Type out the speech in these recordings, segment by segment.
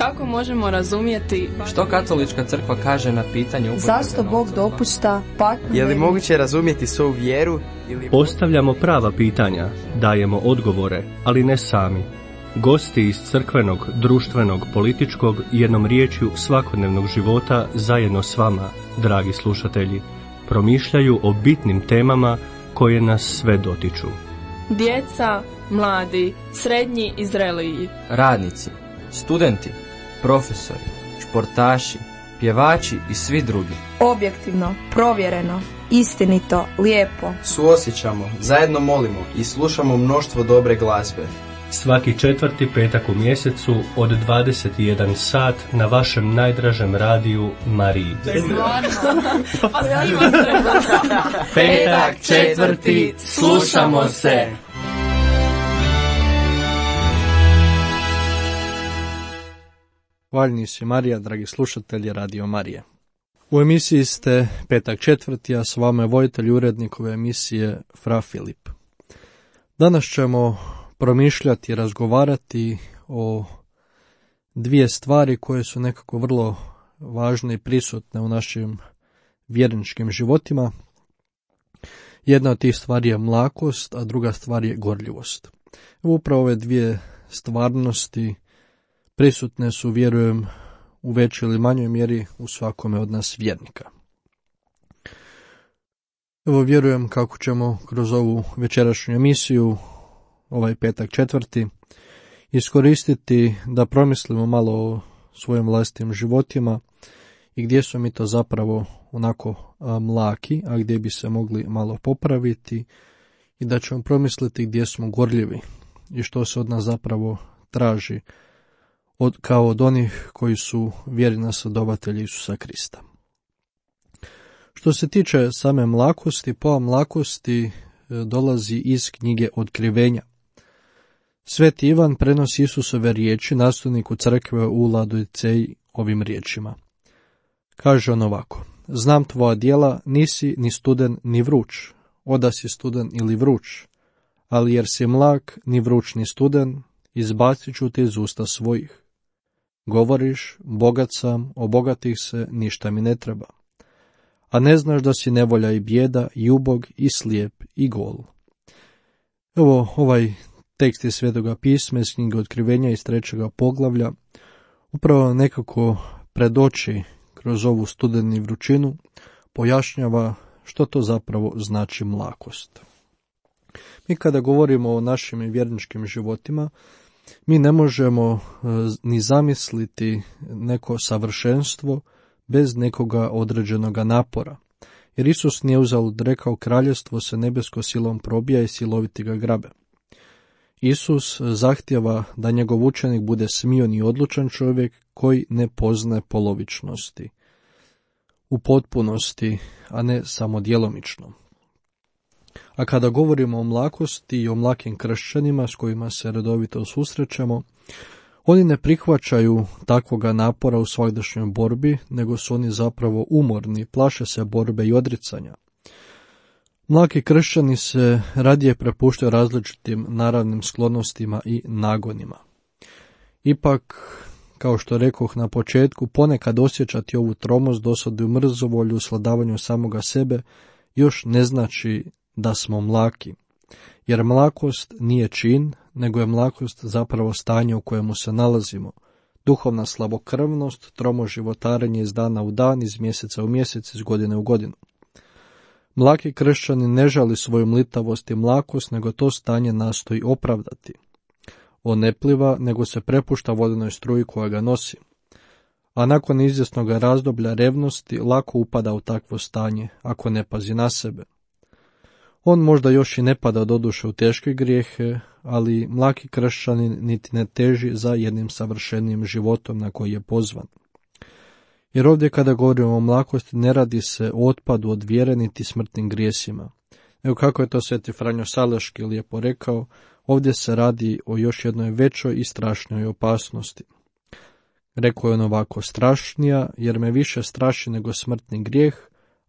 Kako možemo razumjeti što katolička crkva kaže na pitanje zašto Bog dopušta patnju? Je li moguće razumjeti svoju vjeru? Postavljamo prava pitanja, dajemo odgovore, ali ne sami. Gosti iz crkvenog, društvenog, političkog, jednom riječju svakodnevnog života zajedno s vama, dragi slušatelji, promišljaju o bitnim temama koje nas sve dotiču. djeca, mladi, srednji i zreliji, radnici, studenti, profesori, športaši, pjevači i svi drugi. Objektivno, provjereno, istinito, lijepo. Suosjećamo, zajedno molimo i slušamo mnoštvo dobre glazbe. Svaki 4. petak u mjesecu od 21 sat na vašem najdražem radiju Mariji. Petak 4. slušamo se. Hvaljeni si Marija, dragi slušatelji Radio Marije. U emisiji ste Petak 4. a s vama je voditelj urednik ove emisije Fra Filip. Danas ćemo promišljati i razgovarati o dvije stvari koje su nekako vrlo važne i prisutne u našim vjerničkim životima. Jedna od tih stvari je mlakost, a druga stvar je gorljivost. Upravo ove dvije stvarnosti prisutne su, vjerujem, u većoj ili manjoj mjeri u svakome od nas vjernika. Evo, vjerujem kako ćemo kroz ovu večerašnju emisiju, ovaj petak 4. iskoristiti da promislimo malo o svojim vlastitim životima i gdje su mi to zapravo onako mlaki, a gdje bi se mogli malo popraviti, i da ćemo promisliti gdje smo gorljivi i što se od nas zapravo traži kao od onih koji su vjerni nasledovatelji Isusa Krista. Što se tiče same mlakosti, pojam mlakosti dolazi iz knjige Otkrivenja. Sveti Ivan prenosi Isusove riječi nastavniku crkve u Laodiceji ovim riječima. Kaže on ovako: znam tvoja djela, nisi ni studen ni vruć, oda si studen ili vruć, ali jer si mlak, ni vruć ni studen, izbacit ću te iz usta svojih. Govoriš, bogat sam, obogatih se, ništa mi ne treba. A ne znaš da si nevolja i bijeda, i ubog, i slijep, i gol. Evo, ovaj tekst iz Svetoga pisma iz knjige Otkrivenja iz 3. poglavlja upravo nekako predoči kroz ovu studenu vrućinu, pojašnjava što to zapravo znači mlakost. Mi kada govorimo o našim vjerničkim životima, mi ne možemo ni zamisliti neko savršenstvo bez nekoga određenoga napora. Jer Isus nije uzalud rekao: kraljevstvo se nebesko silom probija i siloviti ga grabe. Isus zahtijeva da njegov učenik bude smion i odlučan čovjek koji ne poznaje polovičnosti, u potpunosti, a ne samo djelomično. A kada govorimo o mlakosti i o mlakim kršćanima s kojima se redovito susrećemo, oni ne prihvaćaju takvoga napora u svagdašnjoj borbi, nego su oni zapravo umorni, plaše se borbe i odricanja. Mlaki kršćani se radije prepuštaju različitim naravnim sklonostima i nagonima. Ipak, kao što rekoh na početku, ponekad osjećati ovu tromost, dosadu i mrzovolju u sladavanju samoga sebe još ne znači da smo mlaki. Jer mlakost nije čin, nego je mlakost zapravo stanje u kojemu se nalazimo. Duhovna slabokrvnost, tromo životarenje iz dana u dan, iz mjeseca u mjesec, iz godine u godinu. Mlaki kršćani ne žali svoju mlitavost i mlakost, nego to stanje nastoji opravdati. On ne pliva, nego se prepušta vodenoj struji koja ga nosi. A nakon izvjesnog razdoblja revnosti lako upada u takvo stanje, ako ne pazi na sebe. On možda još i ne pada doduše u teške grijehe, ali mlaki kršćanin niti ne teži za jednim savršenijim životom na koji je pozvan. Jer ovdje kada govorimo o mlakosti ne radi se o otpadu od vjere niti smrtnim grijesima. Evo kako je to sveti Franjo Saleški lijepo rekao, ovdje se radi o još jednoj većoj i strašnoj opasnosti. Rekao je on ovako: strašnija jer me više straši nego smrtni grijeh,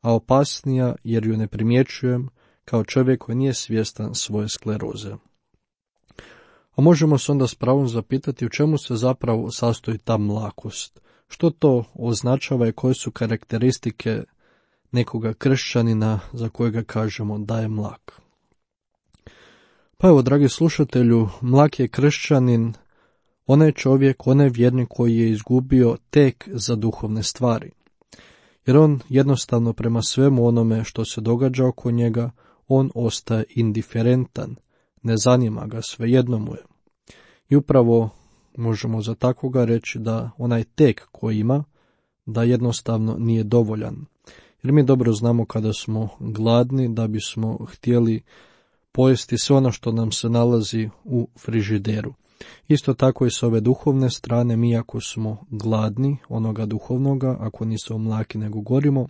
a opasnija jer ju ne primjećujem kao čovjek koji nije svjestan svoje skleroze. A možemo se onda s pravom zapitati u čemu se zapravo sastoji ta mlakost. Što to označava i koje su karakteristike nekoga kršćanina za kojega kažemo da je mlak. Pa evo, dragi slušatelju, mlak je kršćanin, onaj čovjek, onaj vjernik koji je izgubio tek za duhovne stvari. Jer on jednostavno prema svemu onome što se događa oko njega, on ostaje indiferentan, ne zanima ga, svejedno mu je. I upravo možemo za takvoga reći da onaj tek koji ima, da jednostavno nije dovoljan. Jer mi dobro znamo kada smo gladni da bismo htjeli pojesti sve ono što nam se nalazi u frižideru. Isto tako i s ove duhovne strane, mi ako smo gladni onoga duhovnoga, ako nismo mlaki nego gorimo,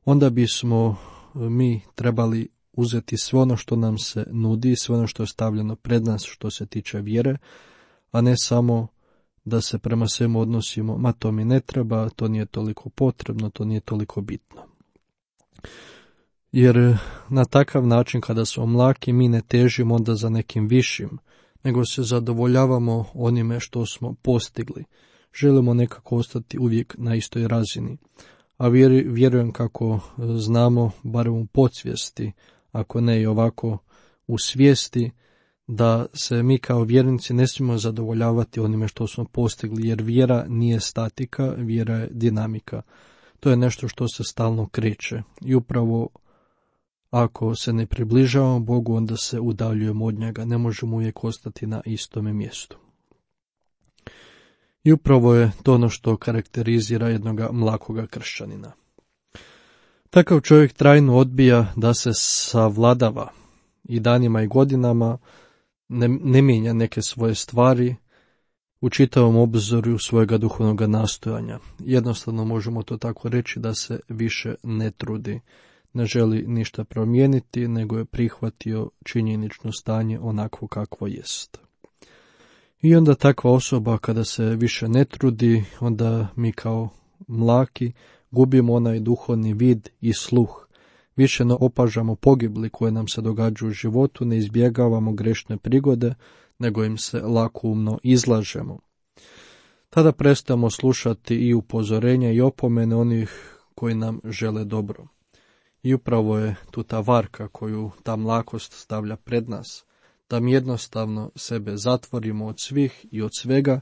onda bismo mi trebali uzeti sve ono što nam se nudi, sve ono što je stavljeno pred nas što se tiče vjere, a ne samo da se prema svemu odnosimo, ma to mi ne treba, to nije toliko potrebno, to nije toliko bitno. Jer na takav način kada smo mlaki mi ne težimo onda za nekim višim, nego se zadovoljavamo onime što smo postigli. Želimo nekako ostati uvijek na istoj razini. A vjerujem kako znamo, barem u podsvijesti, ako ne i ovako u svijesti, da se mi kao vjernici ne smijemo zadovoljavati onime što smo postigli, jer vjera nije statika, vjera je dinamika. To je nešto što se stalno kreće i upravo ako se ne približavamo Bogu, onda se udaljujemo od njega, ne možemo uvijek ostati na istome mjestu. I upravo je to ono što karakterizira jednoga mlakoga kršćanina. Takav čovjek trajno odbija da se savladava i danima i godinama ne mijenja neke svoje stvari u čitavom obzoru svojega duhovnog nastojanja. Jednostavno možemo to tako reći da se više ne trudi, ne želi ništa promijeniti, nego je prihvatio činjenično stanje onako kakvo jest. I onda takva osoba kada se više ne trudi, onda mi kao mlaki gubimo onaj duhovni vid i sluh. Više ne opažamo pogibli koje nam se događaju u životu, ne izbjegavamo grešne prigode, nego im se lakoumno izlažemo. Tada prestajemo slušati i upozorenja i opomene onih koji nam žele dobro. I upravo je tu ta varka koju ta mlakost stavlja pred nas, da mi jednostavno sebe zatvorimo od svih i od svega,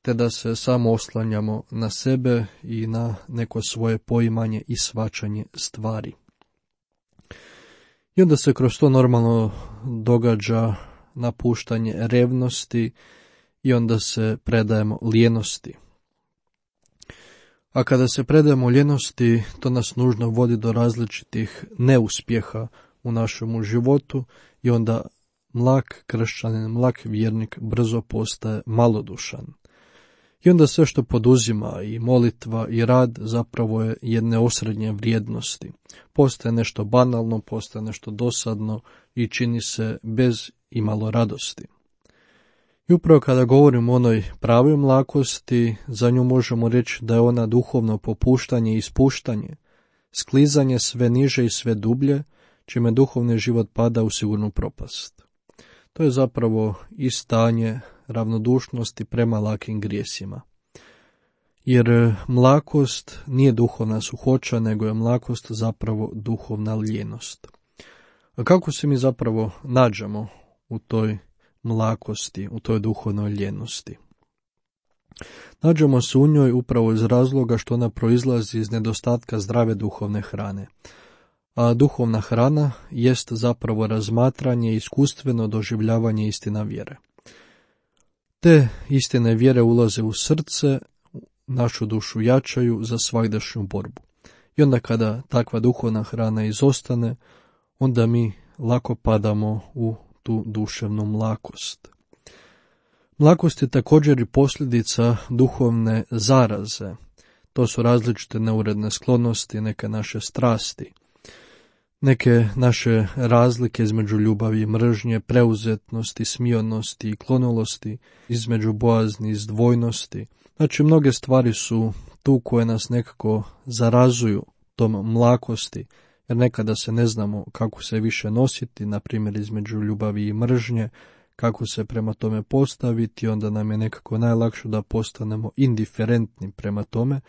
te da se samo oslanjamo na sebe i na neko svoje poimanje i shvaćanje stvari. I onda se kroz to normalno događa napuštanje revnosti i onda se predajemo lijenosti. A kada se predajemo ljenosti, to nas nužno vodi do različitih neuspjeha u našemu životu i onda mlak kršćanin, mlak vjernik brzo postaje malodušan. I onda sve što poduzima i molitva i rad zapravo je jedne osrednje vrijednosti. Postaje nešto banalno, postaje nešto dosadno i čini se bez imalo radosti. I upravo kada govorimo o onoj pravoj mlakosti, za nju možemo reći da je ona duhovno popuštanje i ispuštanje, sklizanje sve niže i sve dublje, čime duhovni život pada u sigurnu propast. To je zapravo i stanje ravnodušnosti prema lakim grijesima. Jer mlakost nije duhovna suhoća, nego je mlakost zapravo duhovna lijenost. A kako se mi zapravo nađemo u toj mlakosti, u toj duhovnoj lijenosti? Nađemo se u njoj upravo iz razloga što ona proizlazi iz nedostatka zdrave duhovne hrane. A duhovna hrana jest zapravo razmatranje i iskustveno doživljavanje istina vjere. Te istine vjere ulaze u srce, našu dušu jačaju za svagdašnju borbu. I onda kada takva duhovna hrana izostane, onda mi lako padamo u tu duševnu mlakost. Mlakost je također i posljedica duhovne zaraze. To su različite neuredne sklonosti, neke naše strasti, neke naše razlike između ljubavi i mržnje, preuzetnosti, smionosti i klonulosti, između bojazni i izdvojnosti. Znači, mnoge stvari su tu koje nas nekako zarazuju tom mlakosti, jer nekada se ne znamo kako se više nositi, na primjer između ljubavi i mržnje, kako se prema tome postaviti, onda nam je nekako najlakše da postanemo indiferentni prema tome,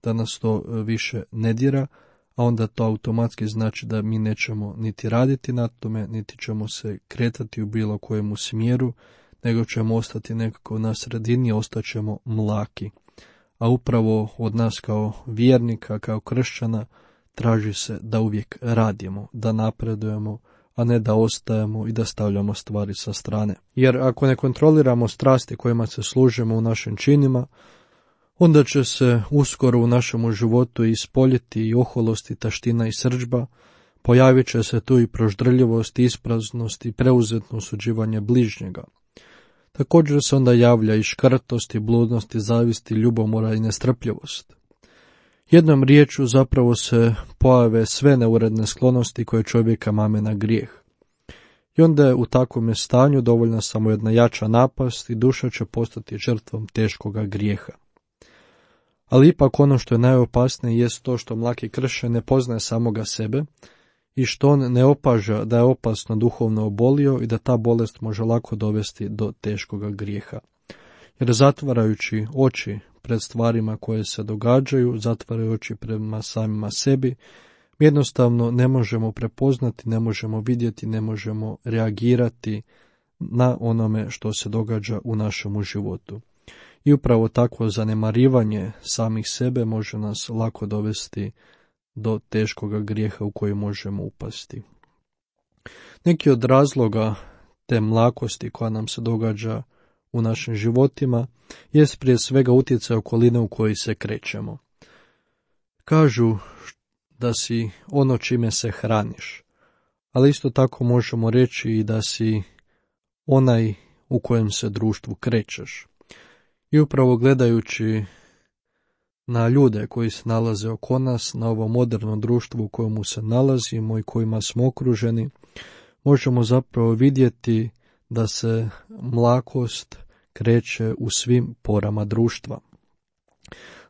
da nas to više ne dira, a onda to automatski znači da mi nećemo niti raditi na tome, niti ćemo se kretati u bilo kojemu smjeru, nego ćemo ostati nekako na sredini, ostaćemo mlaki. A upravo od nas kao vjernika, kao kršćana, traži se da uvijek radimo, da napredujemo, a ne da ostajemo i da stavljamo stvari sa strane. Jer ako ne kontroliramo strasti kojima se služimo u našim činima, onda će se uskoro u našemu životu ispoljiti i oholost i taština i srdžba, pojavit će se tu i proždrljivost, ispraznost i preuzetno osuđivanje bližnjega. Također se onda javlja i škrtost i bludnost i zavist i ljubomora i nestrpljivost. Jednom riječju zapravo se pojave sve neuredne sklonosti koje čovjeka mame na grijeh. I onda je u takvom stanju dovoljna samo jedna jača napast i duša će postati žrtvom teškoga grijeha. Ali ipak ono što je najopasnije jest to što mlaki kršćan ne poznaje samoga sebe i što on ne opaža da je opasno duhovno obolio i da ta bolest može lako dovesti do teškoga grijeha. Jer zatvarajući oči pred stvarima koje se događaju, zatvaraju oči prema samima sebi, mi jednostavno ne možemo prepoznati, ne možemo vidjeti, ne možemo reagirati na onome što se događa u našemu životu. I upravo takvo zanemarivanje samih sebe može nas lako dovesti do teškoga grijeha u koji možemo upasti. Neki od razloga te mlakosti koja nam se događa u našim životima jest prije svega utjecaj okoline u kojoj se krećemo. Kažu da si ono čime se hraniš, ali isto tako možemo reći i da si onaj u kojem se društvu krećeš. I upravo gledajući na ljude koji se nalaze oko nas, na ovo moderno društvo u kojemu se nalazimo i kojima smo okruženi, možemo zapravo vidjeti da se mlakost kreće u svim porama društva.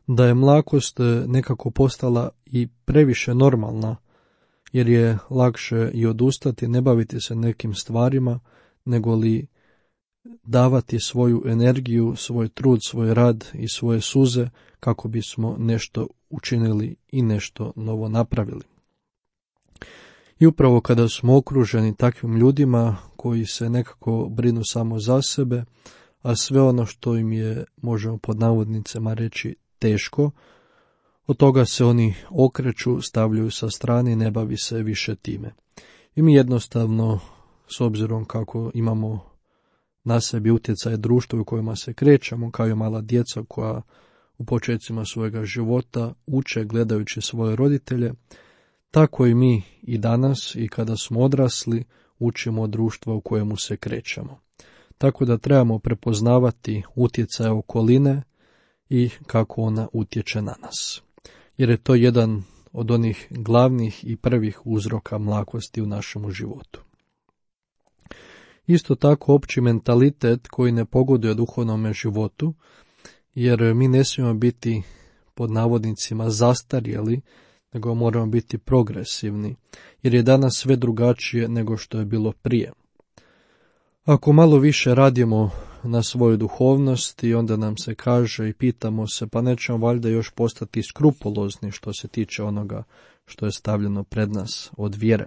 Da je mlakost nekako postala i previše normalna, jer je lakše i odustati, ne baviti se nekim stvarima, nego li davati svoju energiju, svoj trud, svoj rad i svoje suze kako bismo nešto učinili i nešto novo napravili. I upravo kada smo okruženi takvim ljudima koji se nekako brinu samo za sebe, a sve ono što im je, možemo pod navodnicama reći, teško, od toga se oni okreću, stavljaju sa strane i ne bavi se više time. I mi jednostavno, s obzirom kako imamo na sebi utjecaj društva u kojima se krećemo, kao i mala djeca koja u početcima svojega života uče gledajući svoje roditelje, tako i mi i danas i kada smo odrasli učimo od društva u kojemu se krećemo. Tako da trebamo prepoznavati utjecaj okoline i kako ona utječe na nas. Jer je to jedan od onih glavnih i prvih uzroka mlakosti u našemu životu. Isto tako opći mentalitet koji ne pogoduje duhovnome životu, jer mi ne smijemo biti pod navodnicima zastarjeli, nego moramo biti progresivni, jer je danas sve drugačije nego što je bilo prije. Ako malo više radimo na svoju duhovnost i onda nam se kaže i pitamo se, pa nećemo valjda još postati skrupulozni što se tiče onoga što je stavljeno pred nas od vjere.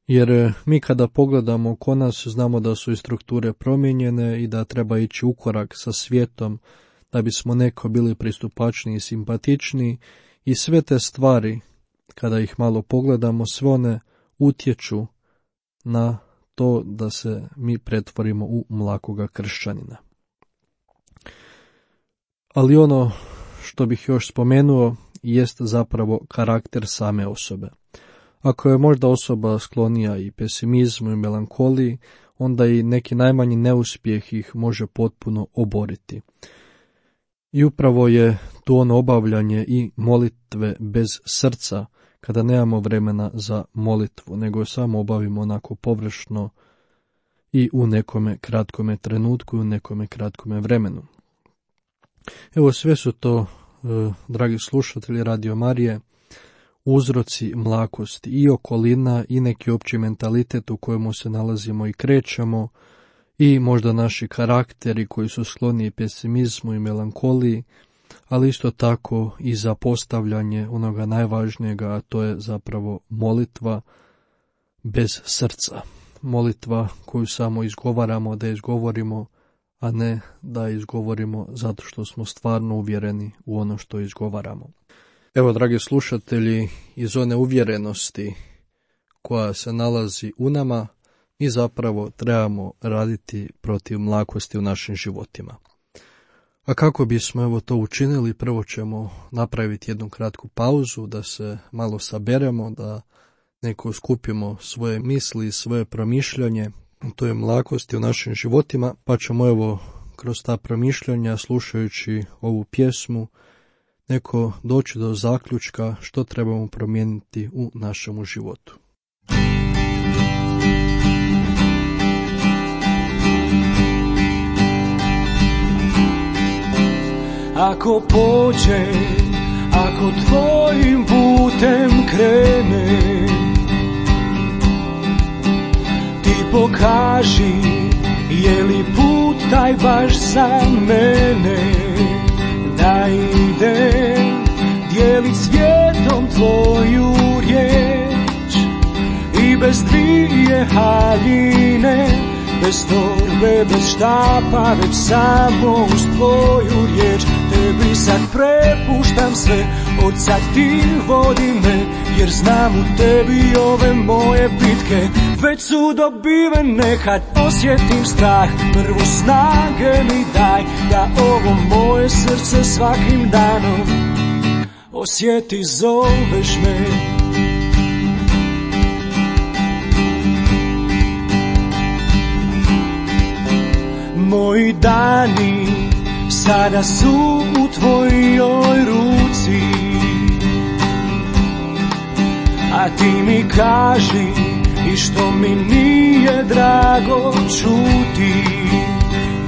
Jer mi kada pogledamo oko nas znamo da su i strukture promijenjene i da treba ići u korak sa svijetom da bismo neko bili pristupačniji i simpatičniji i sve te stvari, kada ih malo pogledamo, sve one utječu na to da se mi pretvorimo u mlakoga kršćanina. Ali ono što bih još spomenuo jest zapravo karakter same osobe. Ako je možda osoba sklonija i pesimizmu i melankoliji, onda i neki najmanji neuspjeh ih može potpuno oboriti. I upravo je tu ono obavljanje i molitve bez srca, kada nemamo vremena za molitvu, nego samo obavimo onako površno i u nekome kratkome trenutku i u nekome kratkome vremenu. Evo sve su to, dragi slušatelji Radio Marije, uzroci mlakosti i okolina i neki opći mentalitet u kojemu se nalazimo i krećemo i možda naši karakteri koji su skloni pesimizmu i melankoliji, ali isto tako i za postavljanje onoga najvažnijega, a to je zapravo molitva bez srca. Molitva koju samo izgovaramo da izgovorimo, a ne da izgovorimo zato što smo stvarno uvjereni u ono što izgovaramo. Evo, dragi slušatelji, iz one uvjerenosti koja se nalazi u nama, mi zapravo trebamo raditi protiv mlakosti u našim životima. A kako bismo evo to učinili, prvo ćemo napraviti jednu kratku pauzu, da se malo saberemo, da neko skupimo svoje misli, svoje promišljanje, to je mlakosti u našim životima, pa ćemo evo kroz ta promišljanja, slušajući ovu pjesmu, neko doći do zaključka što trebamo promijeniti u našemu životu. Ako pođe, ako tvojim putem krene, ti pokaži, je li put taj baš za mene, da idem dijelit svijetom tvoju riječ i bez dvije haljine, bez torbe, bez štapa, već samo uz tvoju riječ. Tebi sad prepuštam sve, od sad ti vodi me, jer znam u tebi ove moje bitke već su dobivene. Kad osjetim strah, prvo snage mi daj, da ovo moje srce svakim danom osjeti, zoveš me. Moji dani sada su u tvojoj ruci, a ti mi kaži i što mi nije drago čuti,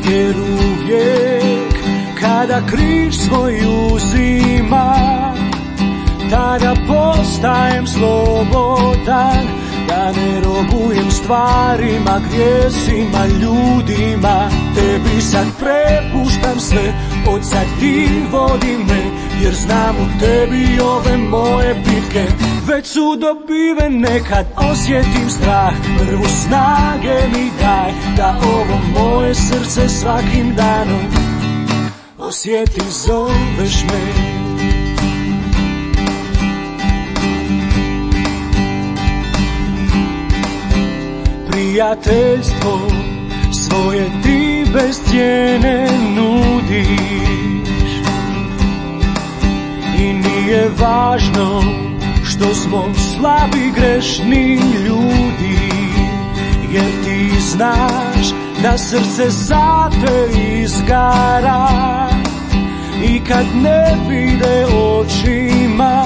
jer uvijek kada križ svoj uzima, tada postajem slobodan, da ne robujem stvarima, grijesima, ljudima. Tebi sad prepuštam sve, od sad ti vodi me, jer znam u tebi ove moje bitke već su dobivene. Kad osjetim strah, prvo snage mi daj, da ovo moje srce svakim danom osjeti, zoveš me. Prijateljstvo svoje ti bez cijene nudiš i nije važno što smo slabi, grešni ljudi, jer ti znaš da srce za te izgara i kad ne vide očima,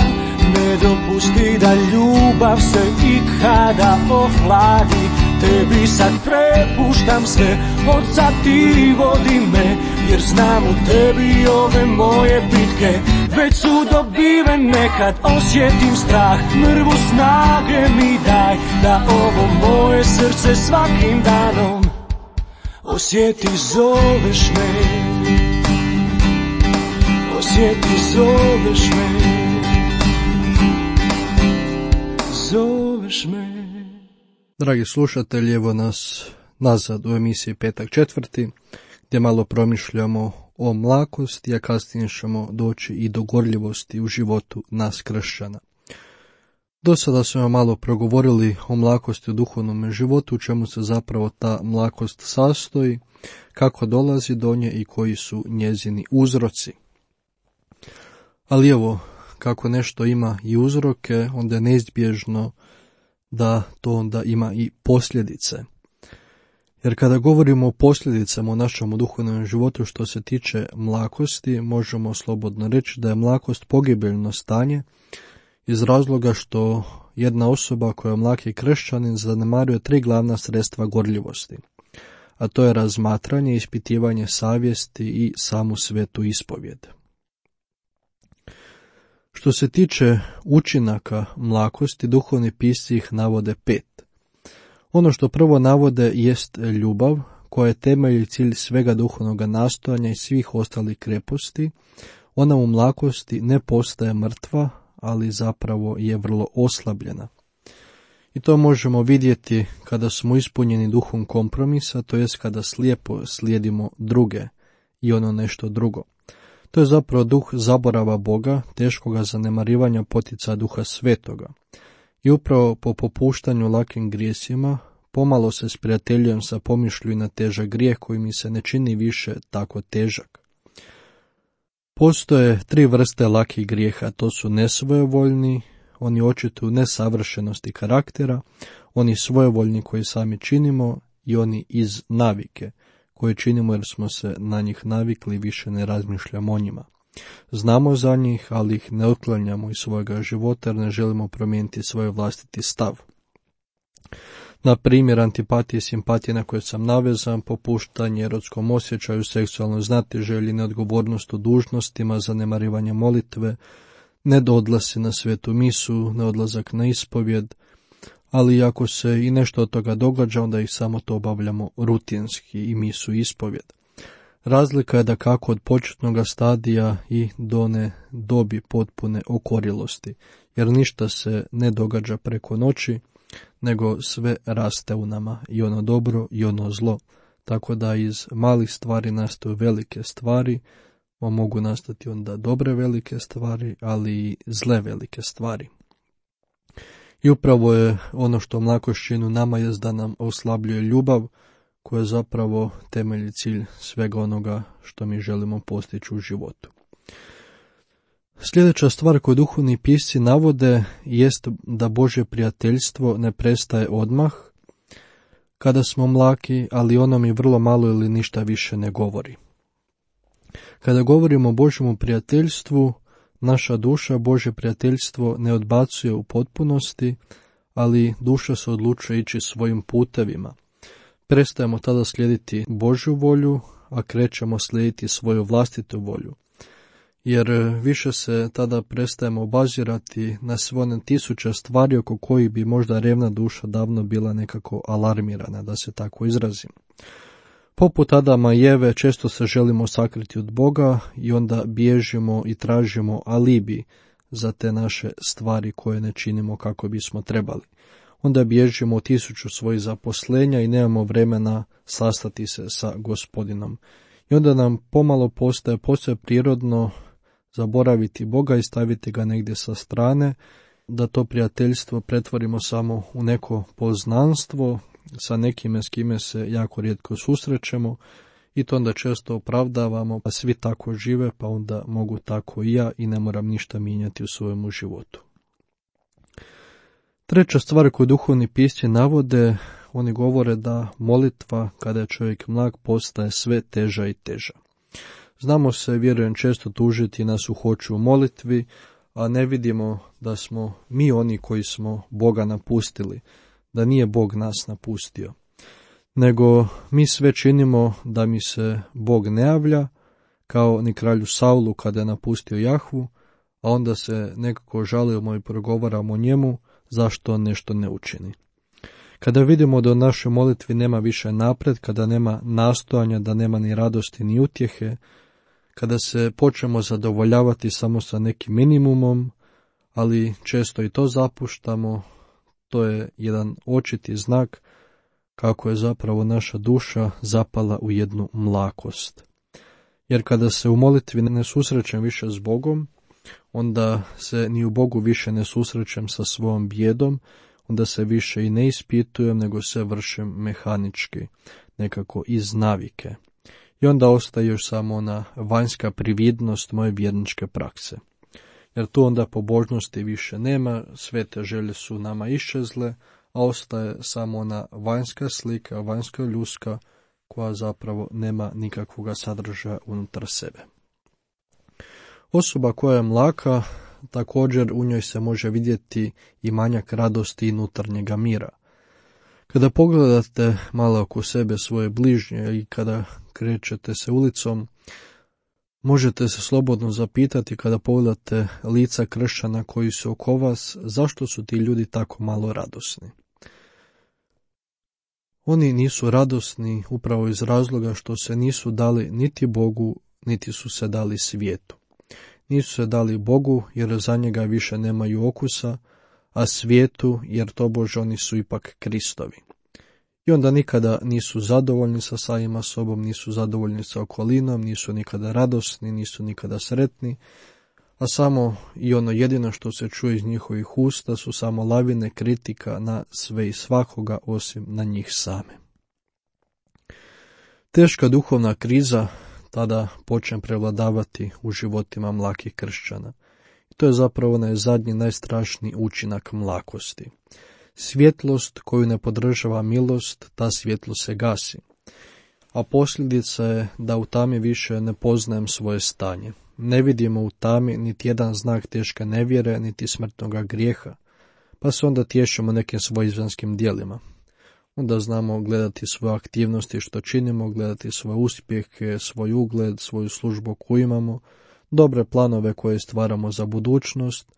ne dopusti da ljubav se ikada ohladi. Tebi sad prepuštam sve, od sad ti vodi me, jer znam u tebi ove moje bitke već su dobivene. Kad osjetim strah, mrvu snage mi daj, da ovo moje srce svakim danom osjeti, zoveš me. Osjeti, zoveš me. Zoveš me. Dragi slušatelji, evo nas nazad u emisiji Petak četvrti, gdje malo promišljamo o mlakosti, a kasnije ćemo doći i do gorljivosti u životu nas kršćana. Do sada smo malo progovorili o mlakosti u duhovnom životu, u čemu se zapravo ta mlakost sastoji, kako dolazi do nje i koji su njezini uzroci. Ali evo, kako nešto ima i uzroke, onda je neizbježno da to onda ima i posljedice. Jer kada govorimo o posljedicama u našem duhovnom životu što se tiče mlakosti, možemo slobodno reći da je mlakost pogibeljno stanje iz razloga što jedna osoba koja je mlaki kršćanin zanemaruje 3 glavna sredstva gorljivosti, a to je razmatranje, ispitivanje savjesti i samu svetu ispovjed. Što se tiče učinaka mlakosti, duhovni pisci ih navode 5. Ono što prvo navode jest ljubav, koja je temelj i cilj svega duhovnog nastojanja i svih ostalih kreposti. Ona u mlakosti ne postaje mrtva, ali zapravo je vrlo oslabljena. I to možemo vidjeti kada smo ispunjeni duhom kompromisa, to jest kada slijepo slijedimo druge i ono nešto drugo. To je zapravo duh zaborava Boga, teškoga zanemarivanja potica Duha Svetoga. I upravo po popuštanju lakim grijesima, pomalo se sprijateljujem sa pomišlju i na težak grijeh koji mi se ne čini više tako težak. Postoje 3 vrste lakih grijeha, to su nesvojevoljni, oni očituju nesavršenosti karaktera, oni svojevoljni koji sami činimo i oni iz navike, koje činimo jer smo se na njih navikli i više ne razmišljamo o njima. Znamo za njih, ali ih ne otklanjamo iz svojega života jer ne želimo promijeniti svoj vlastiti stav. Na primjer, antipatije i simpatije na koje sam navezan, popuštanje erotskom osjećaju, seksualnoj znatiželji, neodgovornost u dužnostima, zanemarivanje molitve, nedodlasi na svetu misu, neodlazak na ispovjed, ali ako se i nešto od toga događa, onda ih samo to obavljamo rutinski i misu i ispovjed. Razlika je da kako od početnog stadija i do one dobi potpune okorilosti, jer ništa se ne događa preko noći, nego sve raste u nama, i ono dobro i ono zlo, tako da iz malih stvari nastaju velike stvari, mogu nastati onda dobre velike stvari, ali i zle velike stvari. I upravo je ono što mlakošćinu nama je da nam oslabljuje ljubav, koja je zapravo temelj cilj svega onoga što mi želimo postići u životu. Sljedeća stvar koju duhovni pisci navode jest da Božje prijateljstvo ne prestaje odmah kada smo mlaki, ali ono mi vrlo malo ili ništa više ne govori. Kada govorimo o Božjemu prijateljstvu, naša duša Božje prijateljstvo ne odbacuje u potpunosti, ali duša se odlučuje ići svojim putevima. Prestajemo tada slijediti Božju volju, a krećemo slijediti svoju vlastitu volju. Jer više se tada prestajemo obazirati na sve one 1000 stvari oko kojih bi možda revna duša davno bila nekako alarmirana, da se tako izrazim. Poput Adama i Eve često se želimo sakriti od Boga i onda bježimo i tražimo alibi za te naše stvari koje ne činimo kako bismo trebali. Onda bježimo od 1000 svojih zaposlenja i nemamo vremena sastati se sa Gospodinom. I onda nam pomalo postaje posve prirodno zaboraviti Boga i staviti ga negdje sa strane, da to prijateljstvo pretvorimo samo u neko poznanstvo sa nekime s kime se jako rijetko susrećemo i to onda često opravdavamo, pa svi tako žive, pa onda mogu tako i ja i ne moram ništa mijenjati u svojemu životu. Treća stvar koju duhovni pisci navode, oni govore da molitva kada je čovjek mlak postaje sve teža i teža. Znamo se, vjerujem, često tužiti na suhoću u molitvi, a ne vidimo da smo mi oni koji smo Boga napustili, da nije Bog nas napustio. Nego mi sve činimo da mi se Bog ne javlja, kao ni kralju Saulu kada je napustio Jahvu, a onda se nekako žalimo i progovaramo o njemu zašto on nešto ne učini. Kada vidimo da u našoj molitvi nema više napred, kada nema nastojanja, da nema ni radosti ni utjehe, kada se počnemo zadovoljavati samo sa nekim minimumom, ali često i to zapuštamo, to je jedan očiti znak kako je zapravo naša duša zapala u jednu mlakost. Jer kada se u molitvi ne susrećem više s Bogom, onda se ni u Bogu više ne susrećem sa svojom bijedom, onda se više i ne ispitujem, nego se vršim mehanički, nekako iz navike. I onda ostaje još samo ona vanjska prividnost moje vjerničke prakse. Jer tu onda pobožnosti više nema, sve te želje su nama iščezle, a ostaje samo ona vanjska slika, vanjska ljuska, koja zapravo nema nikakvog sadržaja unutar sebe. Osoba koja je mlaka, također u njoj se može vidjeti i manjak radosti i unutarnjega mira. Kada pogledate malo oko sebe svoje bližnje i kada krećete se ulicom, Možete se slobodno zapitati kada pogledate lica kršćana koji su oko vas, zašto su ti ljudi tako malo radosni? Oni nisu radosni upravo iz razloga što se nisu dali niti Bogu, niti su se dali svijetu. Nisu se dali Bogu jer za njega više nemaju okusa, a svijetu jer tobože oni su ipak Kristovi. I onda nikada nisu zadovoljni sa samima sobom, nisu zadovoljni sa okolinom, nisu nikada radosni, nisu nikada sretni, a samo i ono jedino što se čuje iz njihovih usta su samo lavine kritika na sve i svakoga osim na njih same. Teška duhovna kriza tada počne prevladavati u životima mlakih kršćana. I to je zapravo onaj zadnji najstrašniji učinak mlakosti. Svjetlost koju ne podržava milost, ta svjetlost se gasi. A posljedica je da u tami više ne poznajem svoje stanje. Ne vidimo u tami niti jedan znak teške nevjere, niti smrtnoga grijeha, pa se onda tješimo nekim svojeizvanskim djelima. Onda znamo gledati svoje aktivnosti što činimo, gledati svoje uspjehe, svoj ugled, svoju službu koju imamo, dobre planove koje stvaramo za budućnost,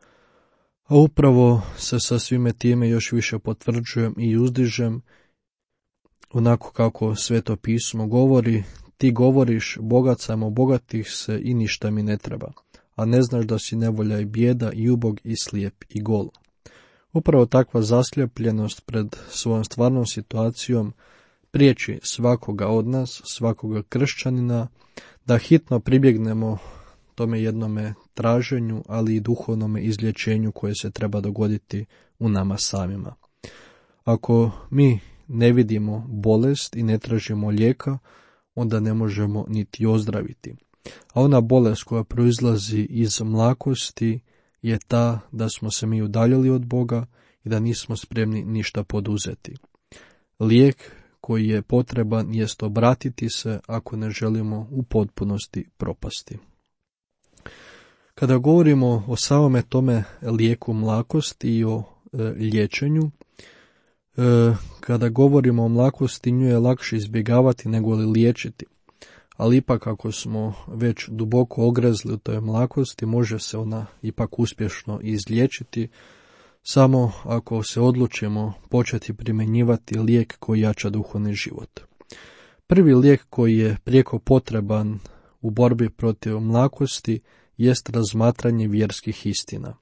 a upravo se sa svime time još više potvrđujem i uzdižem, onako kako Sveto pismo govori, ti govoriš bogat sam, obogatih se i ništa mi ne treba, a ne znaš da si nevolja i bijeda i ubog i slijep i gol. Upravo takva zasljepljenost pred svojom stvarnom situacijom priječi svakoga od nas, svakoga kršćanina, da hitno pribjegnemo tome jednome traženju, ali i duhovnome izlječenju koje se treba dogoditi u nama samima. Ako mi ne vidimo bolest i ne tražimo lijeka, onda ne možemo niti ozdraviti. A ona bolest koja proizlazi iz mlakosti je ta da smo se mi udaljili od Boga i da nismo spremni ništa poduzeti. Lijek koji je potreban jest obratiti se ako ne želimo u potpunosti propasti. Kada govorimo o samome tome lijeku mlakosti i o liječenju, kada govorimo o mlakosti, nju je lakše izbjegavati nego li liječiti. Ali ipak ako smo već duboko ogrezli u toj mlakosti, može se ona ipak uspješno izliječiti, samo ako se odlučimo početi primjenjivati lijek koji jača duhovni život. Prvi lijek koji je prijeko potreban u borbi protiv mlakosti jest razmatranje vjerskih istina.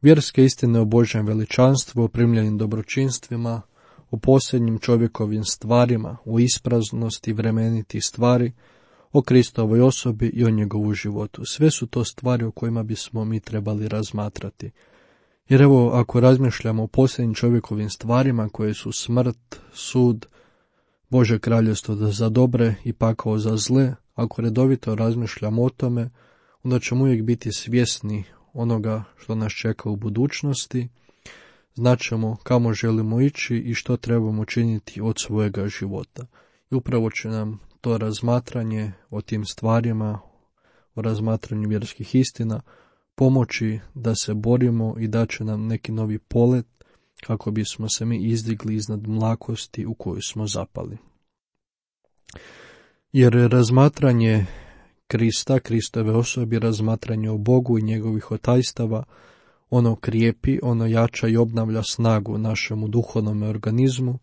Vjerske istine o Božjem veličanstvu, o primljenim dobročinstvima, o posljednjim čovjekovim stvarima, o ispraznosti vremenitih stvari, o Kristovoj osobi i o njegovu životu. Sve su to stvari o kojima bismo mi trebali razmatrati. Jer evo, ako razmišljamo o posljednjim čovjekovim stvarima koje su smrt, sud, Bože kraljevstvo za dobre i pakao za zle, ako redovito razmišljamo o tome, onda ćemo uvijek biti svjesni onoga što nas čeka u budućnosti, znaćemo kamo želimo ići i što trebamo činiti od svojega života. I upravo će nam to razmatranje o tim stvarima, o razmatranju vjerskih istina, pomoći da se borimo i da će nam neki novi polet kako bismo se mi izdigli iznad mlakosti u koju smo zapali. Jer razmatranje Krista, Kristove osobe, razmatranje o Bogu i njegovih otajstava, ono krijepi, ono jača i obnavlja snagu našemu duhovnom organizmu,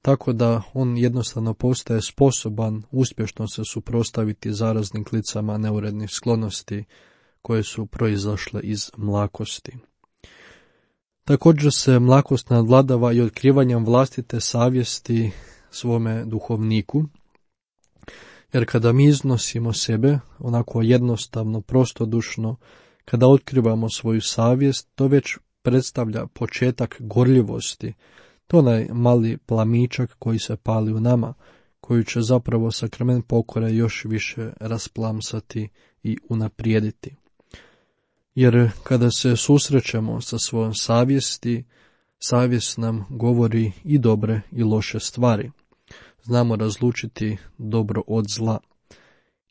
tako da on jednostavno postaje sposoban uspješno se suprotstaviti zaraznim klicama neurednih sklonosti koje su proizašle iz mlakosti. Također se mlakost nadvladava i otkrivanjem vlastite savjesti svome duhovniku, jer kada mi iznosimo sebe, onako jednostavno, prostodušno, kada otkrivamo svoju savjest, to već predstavlja početak gorljivosti. To je onaj mali plamičak koji se pali u nama, koji će zapravo sakrament pokore još više rasplamsati i unaprijediti. Jer kada se susrećemo sa svojom savjesti, savjest nam govori i dobre i loše stvari. Znamo razlučiti dobro od zla.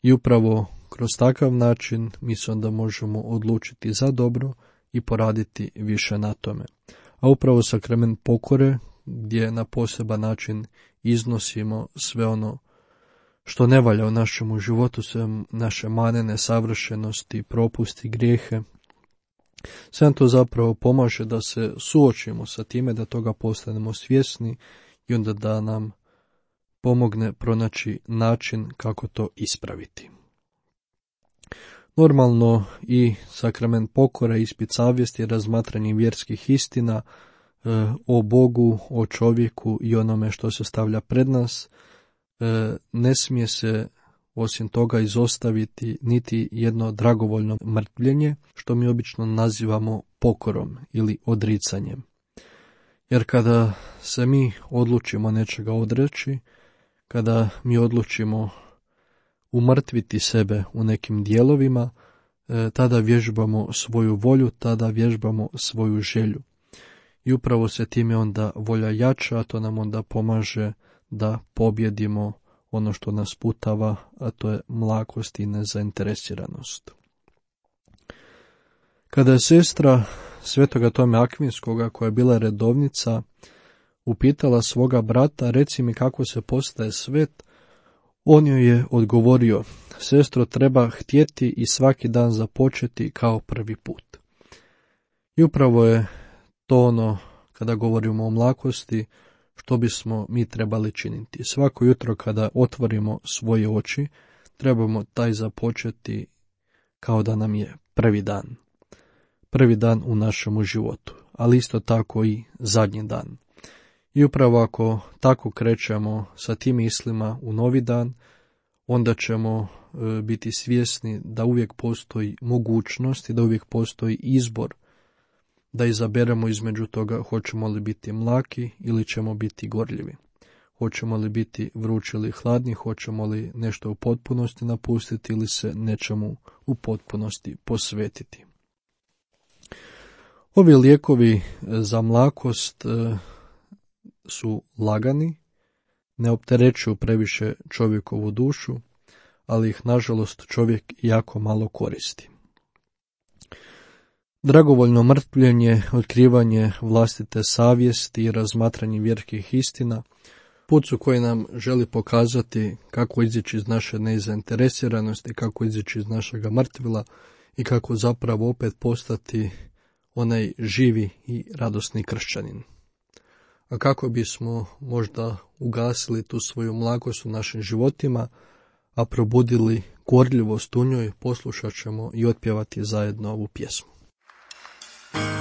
I upravo kroz takav način mi se onda možemo odlučiti za dobro i poraditi više na tome. A upravo sakrament pokore, gdje na poseban način iznosimo sve ono što ne valja u našemu životu, sve naše mane, nesavršenosti, propusti, grijehe. Sve to zapravo pomaže da se suočimo sa time, da toga postanemo svjesni i onda da nam pomogne pronaći način kako to ispraviti. Normalno i sakrament pokore, ispit savjesti, razmatranje vjerskih istina o Bogu, o čovjeku i onome što se stavlja pred nas, ne smije se osim toga izostaviti niti jedno dragovoljno mrtvljenje, što mi obično nazivamo pokorom ili odricanjem. Jer kada se mi odlučimo nečega odreći, kada mi odlučimo umrtviti sebe u nekim dijelovima, tada vježbamo svoju volju, tada vježbamo svoju želju. I upravo se time onda volja jača, a to nam onda pomaže da pobjedimo ono što nas putava, a to je mlakost i nezainteresiranost. Kada je sestra Svetoga Tome Akvinskoga, koja je bila redovnica, upitala svoga brata, reci mi kako se postaje svet, on joj je odgovorio, sestro, treba htjeti i svaki dan započeti kao prvi put. I upravo je to ono, kada govorimo o mlakosti, što bismo mi trebali činiti. Svako jutro kada otvorimo svoje oči, trebamo taj započeti kao da nam je prvi dan. Prvi dan u našemu životu, ali isto tako i zadnji dan. I upravo ako tako krećemo sa tim mislima u novi dan, onda ćemo biti svjesni da uvijek postoji mogućnost i da uvijek postoji izbor da izaberemo između toga hoćemo li biti mlaki ili ćemo biti gorljivi. Hoćemo li biti vrući ili hladni, hoćemo li nešto u potpunosti napustiti ili se nečemu u potpunosti posvetiti. Ovi lijekovi za mlakost su lagani, ne opterećuju previše čovjekovu dušu, ali ih nažalost čovjek jako malo koristi. Dragovoljno mrtvljenje, otkrivanje vlastite savjesti i razmatranje vjerskih istina, put su koji nam želi pokazati kako izići iz naše nezainteresiranosti, kako izići iz našega mrtvila i kako zapravo opet postati onaj živi i radosni kršćanin. A kako bismo možda ugasili tu svoju mlakost u našim životima, a probudili gorljivost u njoj, poslušat ćemo i otpjevati zajedno ovu pjesmu. Uzmi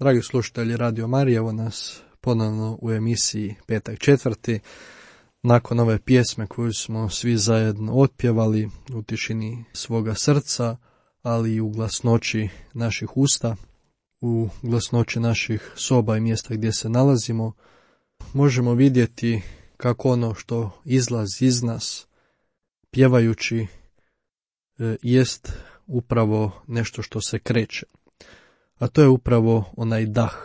Dragi slušatelji Radio Marije, evo nas ponovno u emisiji Petak četvrti. Nakon ove pjesme koju smo svi zajedno otpjevali u tišini svoga srca, ali i u glasnoći naših usta, u glasnoći naših soba i mjesta gdje se nalazimo, možemo vidjeti kako ono što izlazi iz nas, pjevajući, jest upravo nešto što se kreće. A to je upravo onaj dah.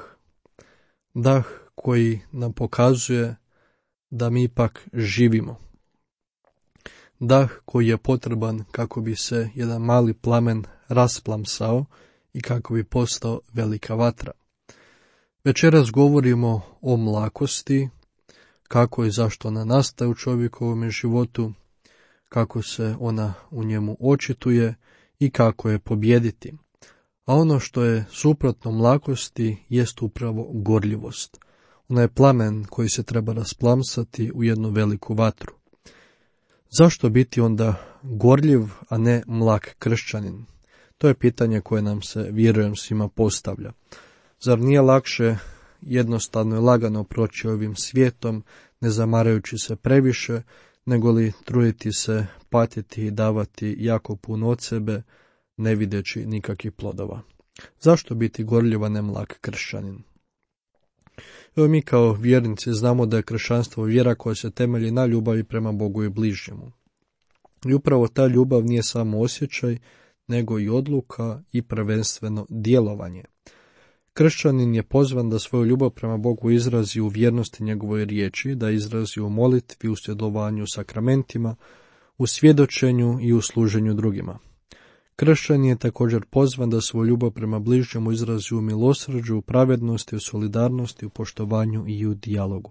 Dah koji nam pokazuje da mi ipak živimo. Dah koji je potreban kako bi se jedan mali plamen rasplamsao i kako bi postao velika vatra. Večeras govorimo o mlakosti, kako i zašto ona nastaje u čovjekovom životu, kako se ona u njemu očituje i kako je pobijediti. A ono što je suprotno mlakosti jest upravo gorljivost. Ona je plamen koji se treba rasplamsati u jednu veliku vatru. Zašto biti onda gorljiv, a ne mlak kršćanin? To je pitanje koje nam se, vjerujem, svima postavlja. Zar nije lakše jednostavno i lagano proći ovim svijetom, ne zamarajući se previše, nego li truditi se, patiti i davati jako puno od sebe, ne videći nikakvih plodova? Zašto biti gorljiv, a ne mlak kršćanin? Evo, mi kao vjernici znamo da je kršćanstvo vjera koja se temelji na ljubavi prema Bogu i bližnjemu. I upravo ta ljubav nije samo osjećaj, nego i odluka i prvenstveno djelovanje. Kršćanin je pozvan da svoju ljubav prema Bogu izrazi u vjernosti njegovoj riječi, da izrazi u molitvi, u sudjelovanju u sakramentima, u svjedočenju i u služenju drugima. Kršćanin je također pozvan da svoju ljubav prema bližnjemu izrazi u milosrđu, u pravednosti, u solidarnosti, u poštovanju i u dijalogu.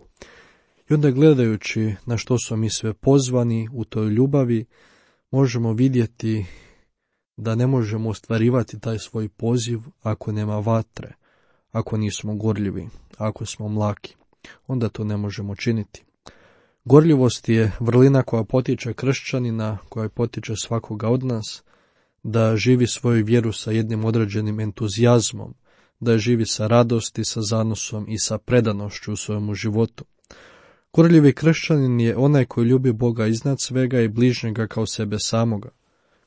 I onda, gledajući na što smo mi sve pozvani u toj ljubavi, možemo vidjeti da ne možemo ostvarivati taj svoj poziv ako nema vatre, ako nismo gorljivi, ako smo mlaki. Onda to ne možemo činiti. Gorljivost je vrlina koja potiče kršćanina, koja potiče svakoga od nas, da živi svoju vjeru sa jednim određenim entuzijazmom, da živi sa radosti, sa zanosom i sa predanošću u svojemu životu. Gorljivi kršćanin je onaj koji ljubi Boga iznad svega i bližnjega kao sebe samoga,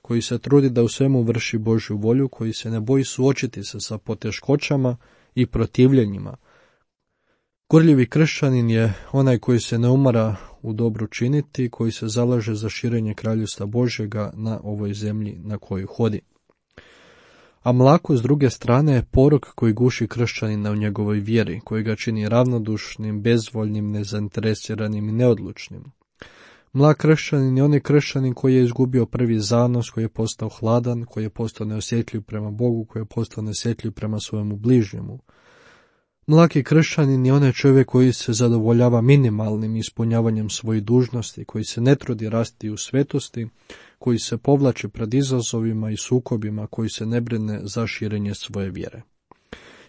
koji se trudi da u svemu vrši Božju volju, koji se ne boji suočiti se sa poteškoćama i protivljenjima. Gorljivi kršćanin je onaj koji se ne umara u dobru činiti, koji se zalaže za širenje kraljevstva Božjega na ovoj zemlji na kojoj hodi. A mlako, s druge strane, je porok koji guši kršćanina u njegovoj vjeri, koji ga čini ravnodušnim, bezvoljnim, nezainteresiranim i neodlučnim. Mlak kršćanin je onaj kršćanin koji je izgubio prvi zanos, koji je postao hladan, koji je postao neosjetljiv prema Bogu, koji je postao neosjetljiv prema svojemu bližnjemu. Mlaki kršćanin je onaj čovjek koji se zadovoljava minimalnim ispunjavanjem svojih dužnosti, koji se ne trudi rasti u svetosti, koji se povlači pred izazovima i sukobima, koji se ne brine za širenje svoje vjere.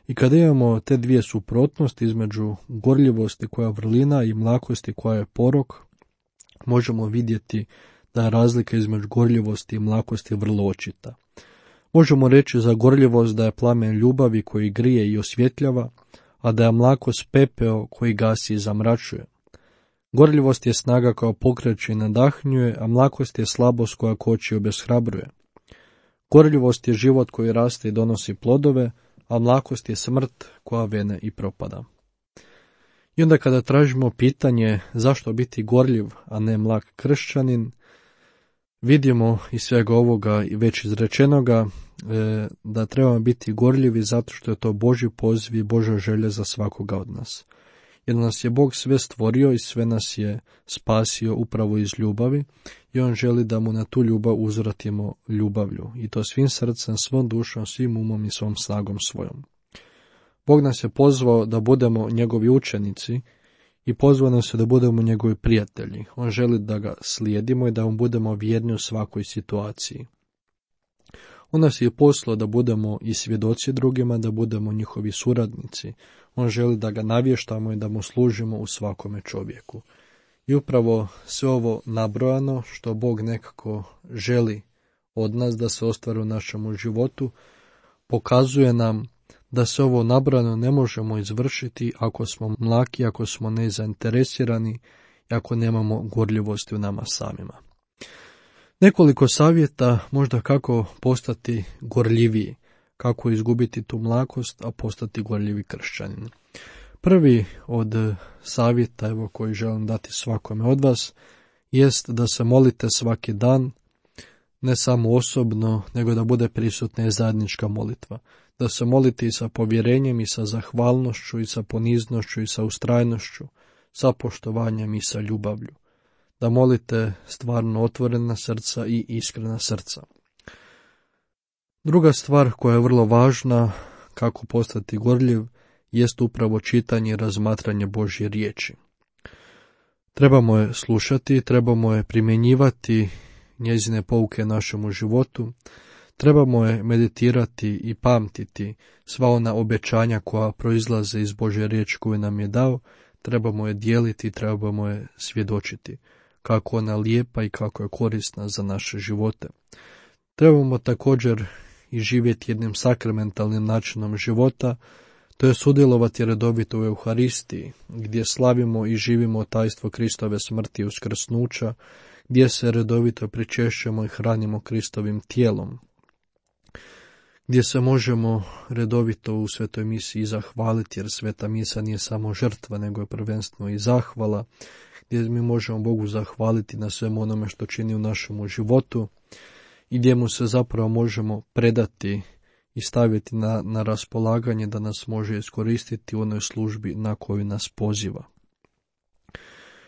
I kada imamo te dvije suprotnosti između gorljivosti koja je vrlina i mlakosti koja je porok, možemo vidjeti da je razlika između gorljivosti i mlakosti vrlo očita. Možemo reći za gorljivost da je plamen ljubavi koji grije i osvjetljava, a da je mlakost pepeo koji gasi i zamračuje. Gorljivost je snaga koja pokreće i nadahnjuje, a mlakost je slabost koja koči i obeshrabruje. Gorljivost je život koji raste i donosi plodove, a mlakost je smrt koja vene i propada. I onda kada tražimo pitanje zašto biti gorljiv, a ne mlak kršćanin, vidimo iz svega ovoga i već izrečenoga da trebamo biti gorljivi zato što je to Božji poziv i Božja želja za svakoga od nas. Jer nas je Bog sve stvorio i sve nas je spasio upravo iz ljubavi i On želi da mu na tu ljubav uzvratimo ljubavlju i to svim srcem, svom dušom, svim umom i svom snagom svojom. Bog nas je pozvao da budemo njegovi učenici i pozvao nas je da budemo njegovi prijatelji. On želi da ga slijedimo i da mu budemo vjerni u svakoj situaciji. On nas je poslao da budemo i svjedoci drugima, da budemo njihovi suradnici. On želi da ga navještamo i da mu služimo u svakome čovjeku. I upravo sve ovo nabrojano što Bog nekako želi od nas da se ostvari u našemu životu, pokazuje nam da se ovo nabrano ne možemo izvršiti ako smo mlaki, ako smo nezainteresirani i ako nemamo gorljivosti u nama samima. Nekoliko savjeta možda kako postati gorljiviji, kako izgubiti tu mlakost, a postati gorljivi kršćanin. Prvi od savjeta koji želim dati svakome od vas jest da se molite svaki dan, ne samo osobno, nego da bude prisutna i zajednička molitva. Da se molite i sa povjerenjem, i sa zahvalnošću, i sa poniznošću, i sa ustrajnošću, sa poštovanjem i sa ljubavlju. Da molite stvarno otvorena srca i iskrena srca. Druga stvar koja je vrlo važna, kako postati gorljiv, jest upravo čitanje i razmatranje Božje riječi. Trebamo je slušati, trebamo je primjenjivati njezine pouke našemu životu, trebamo je meditirati i pamtiti sva ona obećanja koja proizlaze iz Božje riječi koju nam je dao, trebamo je dijeliti, trebamo je svjedočiti, kako ona lijepa i kako je korisna za naše živote. Trebamo također i živjeti jednim sakramentalnim načinom života, to je sudjelovati redovito u Euharistiji, gdje slavimo i živimo tajstvo Kristove smrti i uskrsnuća, gdje se redovito pričešćujemo i hranimo Kristovim tijelom, gdje se možemo redovito u svetoj misiji zahvaliti, jer sveta misa nije samo žrtva, nego je prvenstveno i zahvala, gdje mi možemo Bogu zahvaliti na svemu onome što čini u našemu životu i gdje mu se zapravo možemo predati i staviti na raspolaganje da nas može iskoristiti u onoj službi na koju nas poziva.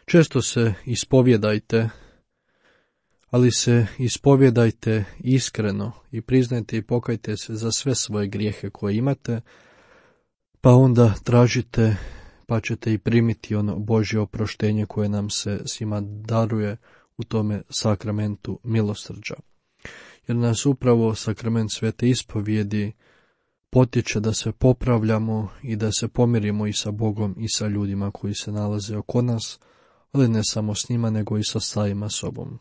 Često se ispovjedajte, ali se ispovjedajte iskreno i priznajte i pokajte se za sve svoje grijehe koje imate, pa onda tražite, pa ćete i primiti ono Božje oproštenje koje nam se svima daruje u tome sakramentu milosrđa. Jer nas upravo sakrament svete ispovjedi potiče da se popravljamo i da se pomirimo i sa Bogom i sa ljudima koji se nalaze oko nas, ali ne samo s njima, nego i sa samima sobom.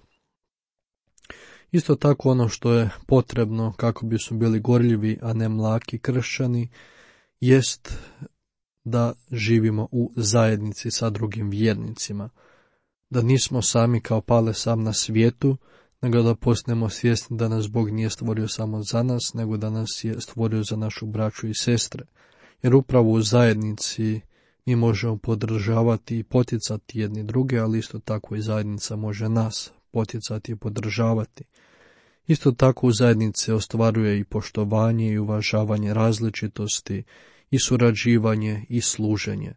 Isto tako ono što je potrebno kako bismo bili gorljivi, a ne mlaki kršćani, jest da živimo u zajednici sa drugim vjernicima, da nismo sami kao pale sam na svijetu, nego da postanemo svjesni da nas Bog nije stvorio samo za nas, nego da nas je stvorio za našu braću i sestre. Jer upravo u zajednici mi možemo podržavati i poticati jedni druge, ali isto tako i zajednica može nas poticati i podržavati. Isto tako u zajednici ostvaruje i poštovanje i uvažavanje različitosti, i surađivanje i služenje.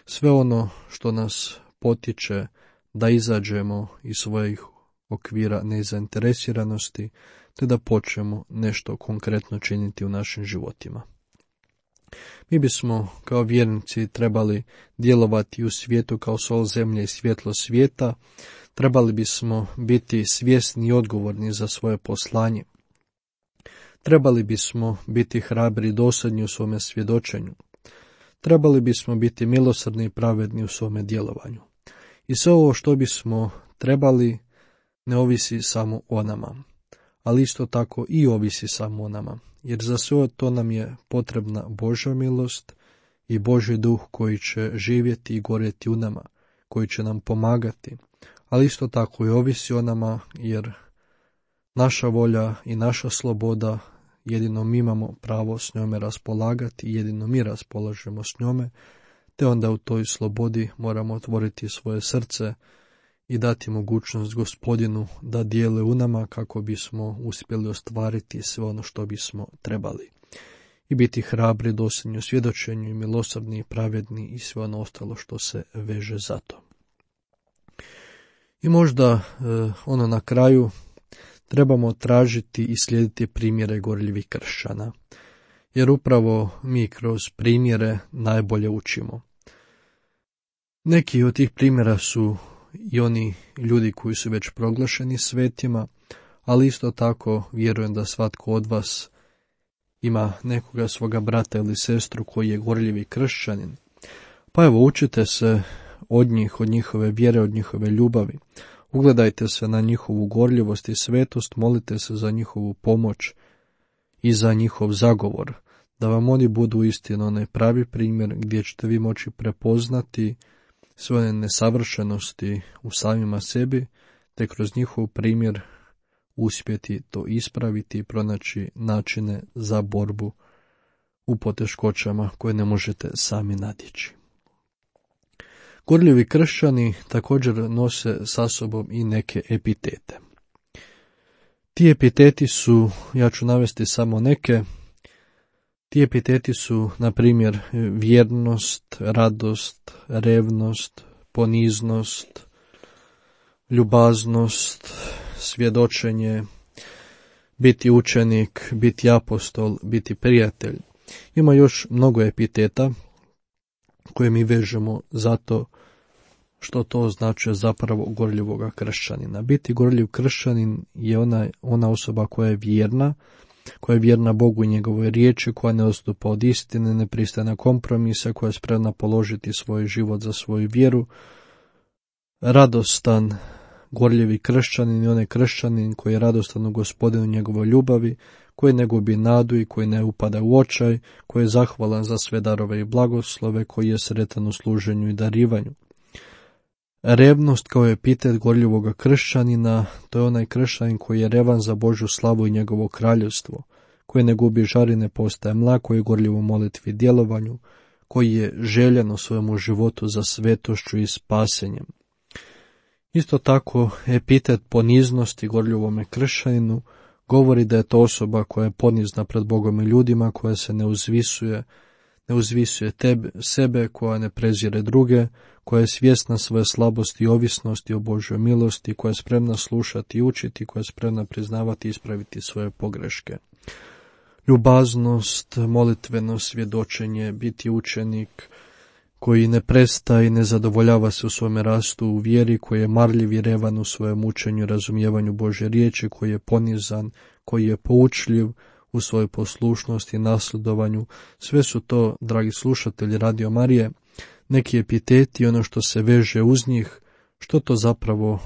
Sve ono što nas potiče da izađemo iz svojih okvira nezainteresiranosti, te da počnemo nešto konkretno činiti u našim životima. Mi bismo kao vjernici trebali djelovati u svijetu kao sol zemlje i svjetlo svijeta, trebali bismo biti svjesni i odgovorni za svoje poslanje. Trebali bismo biti hrabri i dosadni u svome svjedočenju. Trebali bismo biti milosrdni i pravedni u svome djelovanju. I sve ovo što bismo trebali ne ovisi samo o nama, ali isto tako i ovisi samo o nama, jer za sve to nam je potrebna Božja milost i Božji duh koji će živjeti i gorjeti u nama, koji će nam pomagati, ali isto tako i ovisi o nama, jer naša volja i naša sloboda, jedino mi imamo pravo s njome raspolagati, jedino mi raspolažemo s njome, te onda u toj slobodi moramo otvoriti svoje srce i dati mogućnost Gospodinu da dijele u nama kako bismo uspjeli ostvariti sve ono što bismo trebali. I biti hrabri, dosljedni u svjedočenju i milosrdni i pravedni i sve ono ostalo što se veže za to. I možda ono na kraju trebamo tražiti i slijediti primjere gorljivih kršćana, jer upravo mi kroz primjere najbolje učimo. Neki od tih primjera su i oni ljudi koji su već proglašeni svetima, ali isto tako vjerujem da svatko od vas ima nekoga svoga brata ili sestru koji je gorljivi kršćanin. Pa evo, učite se od njih, od njihove vjere, od njihove ljubavi. Ugledajte se na njihovu gorljivost i svetost, molite se za njihovu pomoć i za njihov zagovor, da vam oni budu istino onaj pravi primjer gdje ćete vi moći prepoznati svoje nesavršenosti u samima sebi, te kroz njihov primjer uspjeti to ispraviti i pronaći načine za borbu u poteškoćama koje ne možete sami nadići. Gorljivi kršćani također nose sa sobom i neke epitete. Ti epiteti su, ja ću navesti samo neke, ti epiteti su, na primjer, vjernost, radost, revnost, poniznost, ljubaznost, svjedočenje, biti učenik, biti apostol, biti prijatelj. Ima još mnogo epiteta koje mi vežemo zato što to znači zapravo gorljivoga kršćanina. Biti gorljiv kršćanin je ona osoba koja je vjerna Bogu i njegovoj riječi, koja ne odstupa od istine, ne pristaje na kompromise, koja je spremna položiti svoj život za svoju vjeru. Radostan, gorljivi kršćanin je onaj kršćanin koji je radostan u Gospodinu njegovoj ljubavi, koji ne gubi nadu i koji ne upada u očaj, koji je zahvalan za sve darove i blagoslove, koji je sretan u služenju i darivanju. Revnost kao epitet gorljivoga kršćanina, to je onaj kršćanin koji je revan za Božju slavu i njegovo kraljevstvo, koji ne gubi žar i ne postaje mlak, koji je gorljiv u molitvi i djelovanju, koji je željen u svojemu životu za svetošću i spasenjem. Isto tako, epitet poniznosti gorljivome kršćaninu govori da je to osoba koja je ponizna pred Bogom i ljudima, koja se ne uzvisuje sebe, koja ne prezire druge, koja je svjesna svoje slabosti i ovisnosti o Božjoj milosti, koja je spremna slušati i učiti, koja je spremna priznavati i ispraviti svoje pogreške. Ljubaznost, molitveno svjedočenje, biti učenik koji ne prestaje i ne zadovoljava se u svome rastu u vjeri, koji je marljiv i revan u svojem učenju i razumijevanju Božje riječi, koji je ponizan, koji je poučljiv u svojoj poslušnosti i nasljedovanju. Sve su to, dragi slušatelji Radio Marije, neki epiteti, ono što se veže uz njih, što to zapravo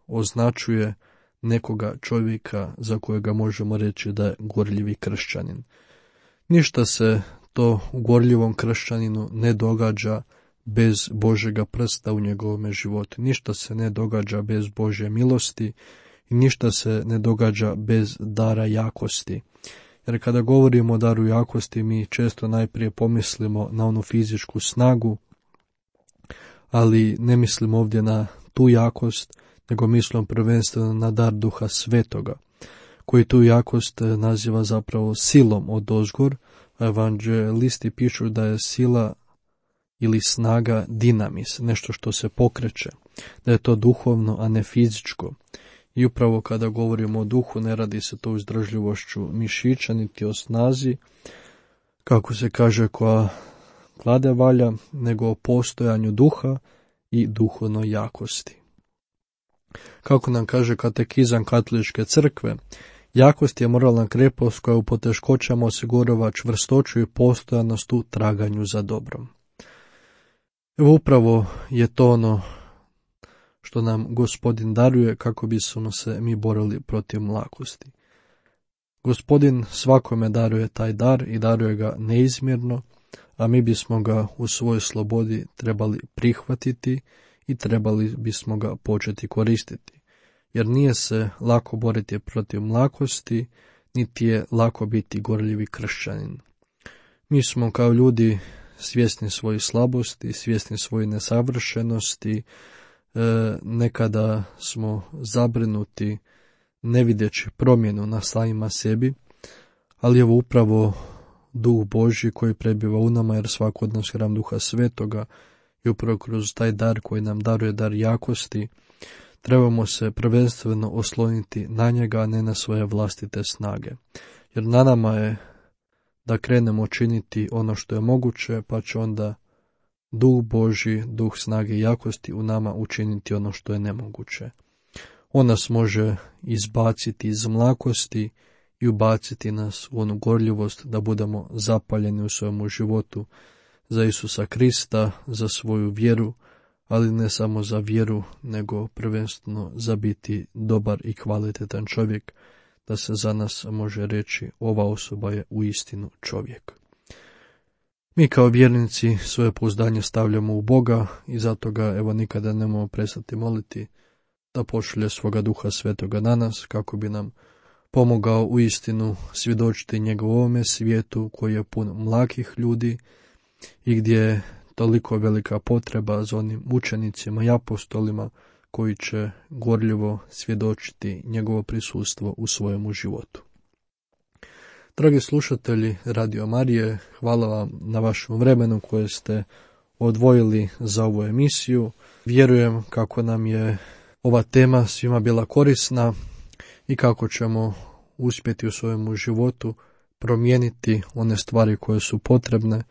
označuje nekoga čovjeka za kojega možemo reći da je gorljivi kršćanin. Ništa se to u gorljivom kršćaninu ne događa bez Božjega prsta u njegovome životu. Ništa se ne događa bez Božje milosti i ništa se ne događa bez dara jakosti. Jer kada govorimo o daru jakosti, mi često najprije pomislimo na onu fizičku snagu, ali ne mislimo ovdje na tu jakost, nego mislimo prvenstveno na dar Duha Svetoga, koji tu jakost naziva zapravo silom odozgor, a evanđelisti pišu da je sila ili snaga dinamis, nešto što se pokreće, da je to duhovno, a ne fizičko. I upravo kada govorimo o duhu, ne radi se to o izdržljivošću mišića, niti o snazi, kako se kaže, koja klade valja, nego o postojanju duha i duhovnoj jakosti. Kako nam kaže katekizam Katoličke crkve, jakost je moralna krepost koja u poteškoćama osigurava čvrstoću i postojanost u traganju za dobrom. Evo upravo je to ono što nam Gospodin daruje kako bismo se mi borili protiv mlakosti. Gospodin svakome daruje taj dar i daruje ga neizmjerno, a mi bismo ga u svojoj slobodi trebali prihvatiti i trebali bismo ga početi koristiti. Jer nije se lako boriti protiv mlakosti, niti je lako biti gorljivi kršćanin. Mi smo kao ljudi svjesni svojih slabosti, svjesni svojih nesavršenosti, nekada smo zabrinuti ne vidjeći promjenu na samima sebi, ali evo upravo Duh Božji koji prebiva u nama, jer svako od nas hram Duha Svetoga i upravo kroz taj dar koji nam daruje dar jakosti, trebamo se prvenstveno osloniti na njega, a ne na svoje vlastite snage. Jer na nama je da krenemo činiti ono što je moguće, pa će onda Duh Božji, Duh snage i jakosti u nama učiniti ono što je nemoguće. On nas može izbaciti iz mlakosti i ubaciti nas u onu gorljivost da budemo zapaljeni u svojemu životu za Isusa Krista, za svoju vjeru, ali ne samo za vjeru, nego prvenstveno za biti dobar i kvalitetan čovjek, da se za nas može reći ova osoba je uistinu čovjek. Mi kao vjernici svoje pouzdanje stavljamo u Boga i zato ga evo nikada ne možemo prestati moliti da pošalje svoga Duha Svetoga na nas kako bi nam pomogao u istinu svjedočiti njegovome svijetu koji je pun mlakih ljudi i gdje je toliko velika potreba za onim učenicima i apostolima koji će gorljivo svjedočiti njegovo prisustvo u svojemu životu. Dragi slušatelji Radio Marije, hvala vam na vašem vremenu koje ste odvojili za ovu emisiju. Vjerujem kako nam je ova tema svima bila korisna i kako ćemo uspjeti u svojemu životu promijeniti one stvari koje su potrebne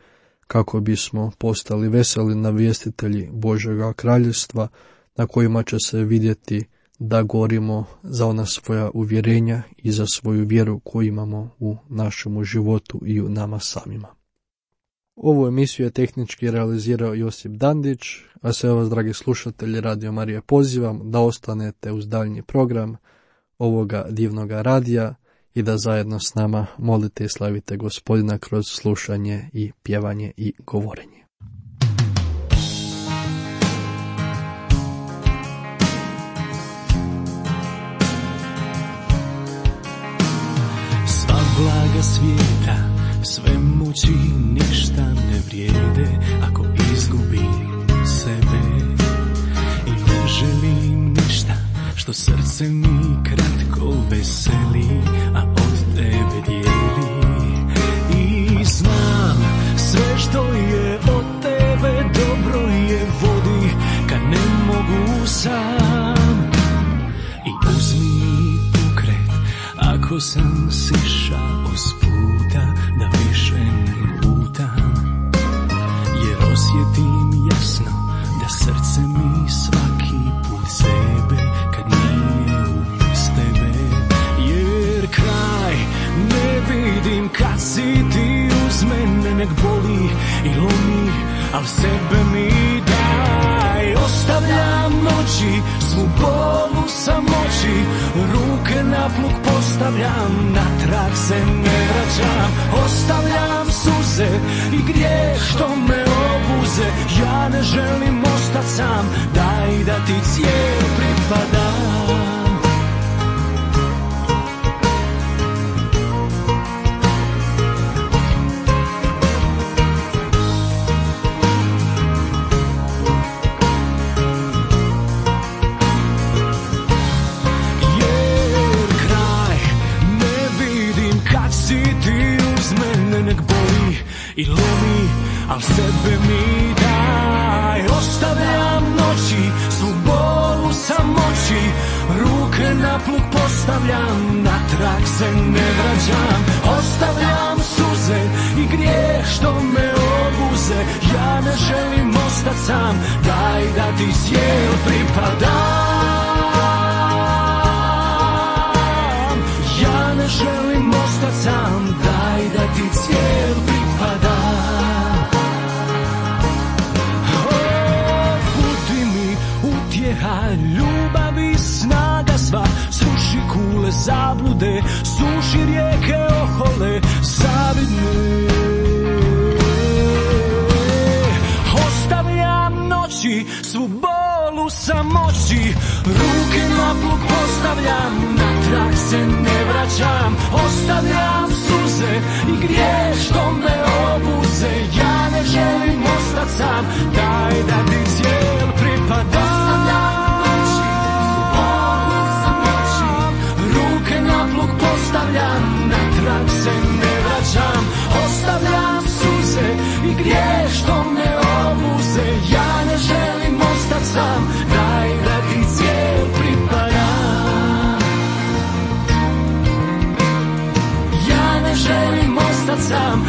kako bismo postali veseli navjestitelji Božjega kraljevstva na kojima će se vidjeti da gorimo za ona svoja uvjerenja i za svoju vjeru koju imamo u našemu životu i u nama samima. Ovu emisiju je tehnički realizirao Josip Dandić, a sve vas, dragi slušatelji Radio Marije, pozivam da ostanete uz daljnji program ovoga divnoga radija i da zajedno s nama molite i slavite Gospodina kroz slušanje i pjevanje i govorenje. Sva blaga svijeta, sve moći ništa ne vrijede ako izgubim sebe. I ne želim ništa što srce mi kratko veseli, a od tebe dijeli. I znam sve što je od tebe dobro je vodi kad ne mogu sam. I uzmi pokret ako sam sišao s puta da više ne lutam, jer osjetim jasno da srce mi svaki put sebe kad nije uz tebe. Jer kraj ne vidim kad si ti uz mene, nek boli i lomi, al sebe mi daj. Ostavljam noći, svu bolu samoći, ruke na plug postavljam, natrag se ne vraćam. Ostavljam suze i grijeh što me obuze, ja ne želim ostat sam, daj da ti cijel pripadam. I lomi, al sebe mi daj. Ostavljam noći, svu bolu samoći, ruke na plug postavljam, natrag se ne vraćam. Ostavljam suze i grijeh što me obuze, ja ne želim ostat sam, daj da ti cijel pripadam. Ja ne želim ostat sam, daj da ti cijel pripadam. Budi mi utjeha, ljubav i snaga sva, sruši kule zablude, suši rijeke ohole zavidne. Ostavljam noći, svu bolu samoći, ruke na plug postavljam, natrag se ne vraćam. Ostavljam suze i grijeh što me obuze, ja ne želim ostat sam, daj da ti cijel pripadam. Ostavljam noći, svu bolu samoći, ruke na plug postavljam, natrag se ne vraćam. Ostavljam suze i grijeh što me obuze, ja ne želim ostat sam, daj da ti cijel pripadam. Ja ne želim ostat sam,